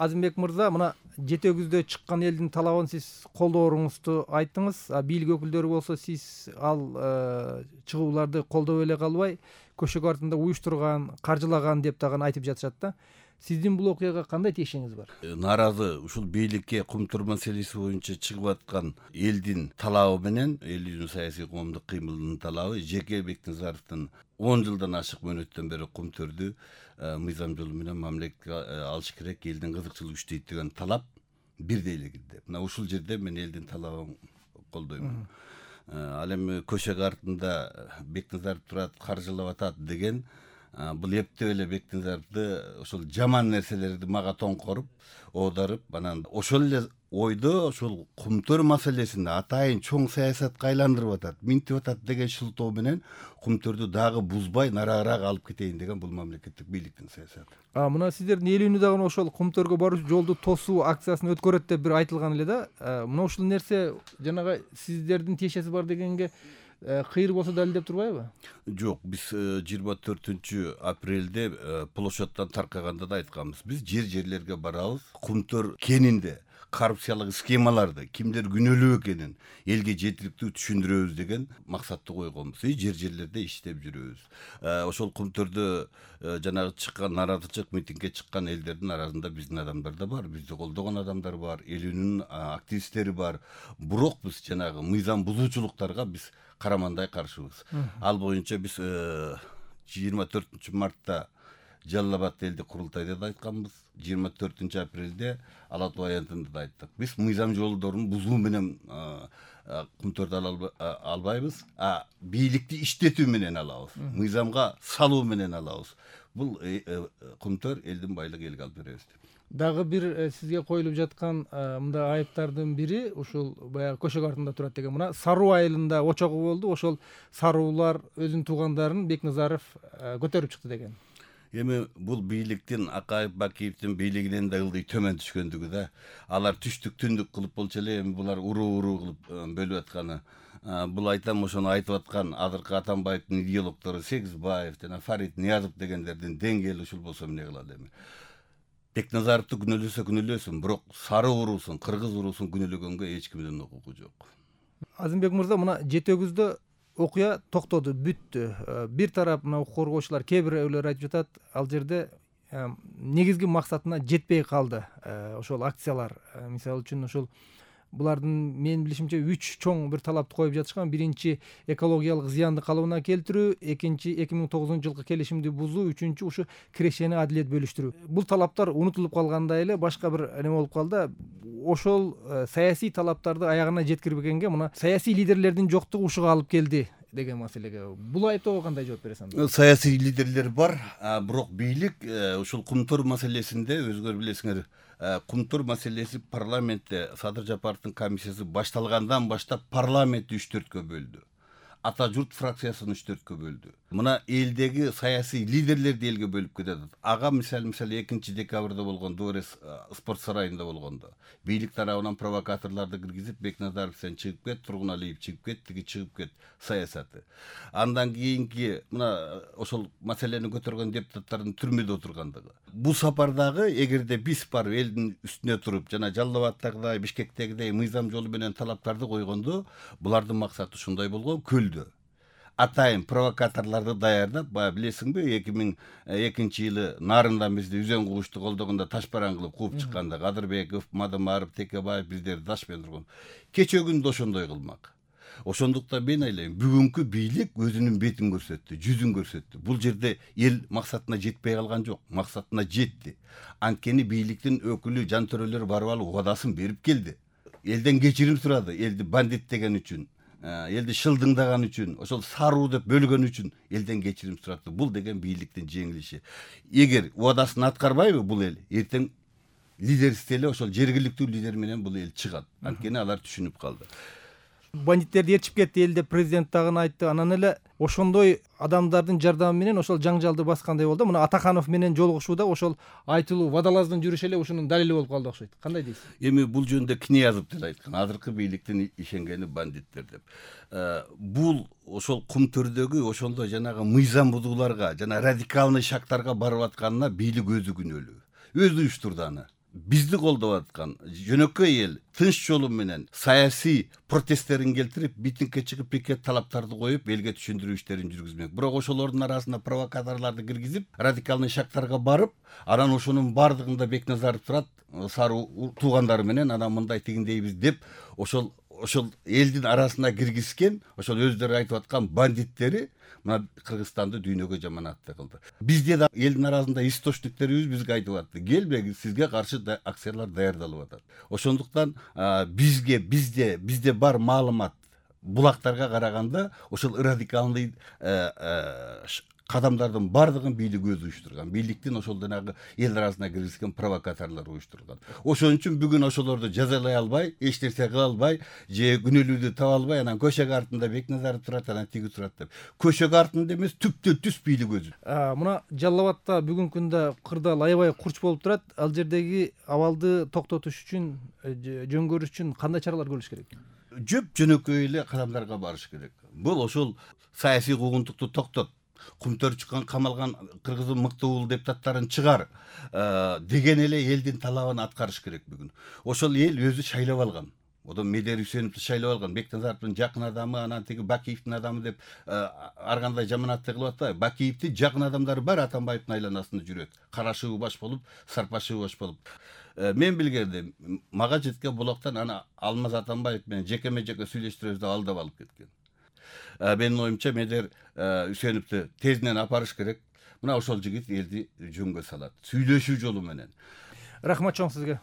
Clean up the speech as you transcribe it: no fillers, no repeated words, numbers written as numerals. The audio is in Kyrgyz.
Азимбек мырза, мына жетегүздө чыккан элдин талабын сиз колдооруңузду айттыңыз. Бийлик өкүлдөрү болсо сиз ал чыгууларды колдоп эле калбай, көшөгө артында уюштурган, каржылаган деп дагы айтып жатышат да. Сиздин бул окуяга кандай тиешеңиз бар? Нааразы ушул бийликке кумтур маселеси боюнча чыгып аткан элдин талабы менен, элдин саясий коомдук кыймылынын талабы жеке Бекназаровдун 10 жылдан ашык мөөнөттөн бери кумтөрдү мыйзам жолу менен мамлекетке алыш керек, элдин кызыкчылыгы күчтөйт деген талап бирдей эле кирди. Мына ушул жерде мен элдин талабын колдоймун. Ал эми көшөгө артында Бекназаров турат, каржылап атат деген бул эптеп эле Бекназаровду ошол жаман нерселерди мага тоңкоруп, оодарып, анан ошол эле ойдо ошол кумтөр маселесин атайын чоң саясатка айландырып атат, минтип атат деген шылтоо менен кумтөрдү дагы бузбай нараарак алып кетейин деген бул мамлекеттик бийликтин саясаты. Мына сиздердин эл үнү дагы ошол кумтөргө баруучу жолду тосуу акциясын өткөрөт деп бир айтылган эле да. Мына ушул нерсе жанагы сиздердин тиешеси бар дегенге кыйыр болсо далилдеп турбайбы? Жок, биз 24 апрелде площадьтан таркаганда да айтканбыз. Биз жерлерге барабыз, кумтөр кенинде коррупциялык схемаларды кимдер күнөөлүү экенин элге жетириктүү түшүндүрөбүз деген максатты койгонбуз. Жерлерде иштеп жүрөбүз. Ошол кумтөрдө жанагы чыккан нааразычылык митингге чыккан элдердин арасында биздин адамдар да бар, бизди колдогон адамдар бар, эл үнүнүн активисттери бар. Бирок биз жанагы мыйзам бузуучулуктарга биз карамандай каршыбыз. Ал боюнча биз 24 мартта Жалал Абад элдик курултайда да айтканбыз, 24 апрелде Ала Тоо аянтында да айттык. Биз мыйзам жолдорун бузуу менен кумтөрдү албайбыз, бийликти иштетүү менен алабыз, мыйзамга салуу менен алабыз. Бул кумтөр элдин байлыгы элге алып беребиз деп. Дагы бир сизге коюлуп жаткан мындай айыптардын бири ушул баягы көшөгө артында турат деген. Мына Саруу айылында очогу болду. Ошол саруулар өзүнүн туугандарын Бекназаров көтөрүп чыкты деген. Эми бул бийликтин Акаев Бакиевдин бийлигинен да ылдый төмөн түшкөндүгү да. Алар түштүк түндүк кылып болчу эле, эми булар уруу кылып бөлүп атканы. Бул айтам, ошону айтып аткан азыркы Атамбаевдин идеологдору Сегизбаев жана Фарид Ниязов дегендердин деңгээли ушул болсо эмне кылат эми? Бекназаровду күнөөлөсө күнөөлөсүн, бирок сары уруусун, кыргыз уруусун күнөөлөгөнгө эч кимдин укугу жок. Азимбек мырза, мына жетегүздө окуя токтоду, бүттү. Бир тарап мына укук коргоочулар, кээ бирөөлөр айтып жатат, ал жерде негизги максатына жетпей калды ошол акциялар. Мисалы үчүн ошол булардын менин билишимче 3 чоң бир талапты коюп жатышкан. Биринчи экологиялык зыянды калыбына келтирүү, экинчи 2009 жылкы келишимди бузуу, үчүнчү ушу кирешени адилет бөлүштүрүү. Бул талаптар унутулуп калгандай эле, башка бир неме болуп калды. Ошол саясий талаптарды аягына жеткирбегенге мына саясий лидерлердин жоктугу ушуга алып келди деген маселеге. Бул айыптоого кандай жооп бересиң? Саясий лидерлер бар, бирок бийлик ушул кумтөр маселесинде өзүңөр билесиңер, кумтөр маселеси парламентте Садыр Жапаровдун комиссиясы башталгандан баштап парламентти 3-4кө бөлдү. Ата журт фракциясын 3-4кө бөлдү. Мына элдеги саясий лидерлерди элге бөлүп кетет. Ага мисалы 2 декабрда болгон Дворец спорт сарайында болгондо бийлик тарабынан провокаторлорду киргизип, Бекназаров сен чыгып кет, Тургуналиев чыгып кет, тиги чыгып кет саясаты. Андан кийинки мына ошол маселени көтөргөн депутаттардын түрмөдө отургандыгы. Бул сапардагы эгерде биз барып элдин үстүнө туруп, жана Жалал Абадтагыдай, Бишкектегидей мыйзам жолу менен талаптарды койгондо, булардын максаты ушундай болгон: көлдө атайын провокаторлорду даярдап, билесиңби, 2002 жылы Нарындан бизди Үзөң Кугучту колдогондо ташбаран кылып кууп чыкканда Кадырбеков, Мадымаров, Текебаев биздерди таш менен турган. Кечээ күндө ошондой кылмак. Ошондуктан мен ойлойм, бүгүнкү бийлик өзүнүн бетин көрсөттү, жүзүн көрсөттү. Бул жерде эл максатына жетпей калган жок, максатына жетти. Анткени бийликтин өкүлү жан төрөлөр барып алып убадасын берип келди. Элден кечирим сурады, элди бандит деген үчүн, элди шылдыңдаган үчүн, ошол саруу деп бөлгөн үчүн элден кечирим сурады. Бул деген бийликтин жеңилиши. Эгер убадасын аткарбайбы бул эл, эртең лидерсиз эле ошол жергиликтүү лидер менен бул эл чыгат. Анткени алар түшүнүп калды. Бандиттерди ээрчип кетти эл деп президент дагы айтты. Анан эле ошондой адамдардын жардамы менен ошол жаңжалды баскандай болду. Мына Атаханов менен жолугушууда ошол айтылуу вадалаздын жүрүшү эле ушунун далили болуп калды окшойт. Кандай дейсиз? Эми бул жөнүндө Книязов деле айткан, азыркы бийликтин ишенгени бандиттер деп. Бул ошол кумтөрдөгү ошондой жанагы мыйзам бузууларга жана радикалный шактарга барып атканына бийлик өзү күнөөлүү. Өзү уюштурду аны. бизди колдоп аткан жөнөкөй эл тынч жолу менен саясий протесттерин келтирип, митингге чыгып пикет талаптарды коюп, элге түшүндүрүү иштерин жүргүзмөк. Бирок ошолордун арасына провокаторлорду киргизип, радикалный шактарга барып, анан ошонун бардыгында Бекназаров турат, сары туугандары менен анан мындай тигиндейбиз деп, ошол элдин арасына киргизген, ошол өздөрү айтып аткан бандиттери мына Кыргызстанды дүйнөгө жаманатты кылды. Бизде да элдин арасында источниктерибиз бизге айтып атты, келбеңиз, сизге каршы акциялар даярдалып атат. Ошондуктан бизде бар маалымат булактарга караганда ошол радикалный кадамдардын бардыгын бийлик өзү уюштурган. Бийликтин ошол жанагы эл арасына киргизген провокаторлор уюштурган. Ошон үчүн бүгүн ошолорду жазалай албай, эч нерсе кыла албай, же күнөөлүүдү таба албай, анан көчөгө артында Бекназаров турат, анан тиги турат деп. Көчөгө артында эмес, түптөн түз бийлик өзү. Мына Жалал Абадта бүгүнкү күндө кырдаал аябай курч болуп турат. Ал жердеги абалды токтотуш үчүн, жөн көрүш үчүн кандай чаралар көрүш керек? Жөнөкөй эле кадамдарга барыш керек. Бул ошол саясий куугунтукту токтот, кумтөр чыккан камалган кыргыздын мыкты уулу депутаттарын чыгар деген эле элдин талабын аткарыш керек бүгүн. Ошол эл өзү шайлап алган. Одан Медер Үсеновду шайлап алган, Бекназаровдун жакын адамы, анан тиги Бакиевдин адамы деп ар кандай жаманатты кылып атпайбы? Бакиевдин жакын адамдары бар Атамбаевдин айланасында жүрөт. Карашыбы баш болуп, Сарпашыбы баш болуп. Мен билгенде мага жеткен булактан ана Алмаз Атамбаев менен жекеме жеке сүйлөштүрөбүз деп алдап алып кеткен. Менин оюмча Медер Үсеновду тезинен апарыш керек. Мына ошол жигит элди жөнгө салат. Сүйлөшүү жолу менен. Рахмат чоң сизге.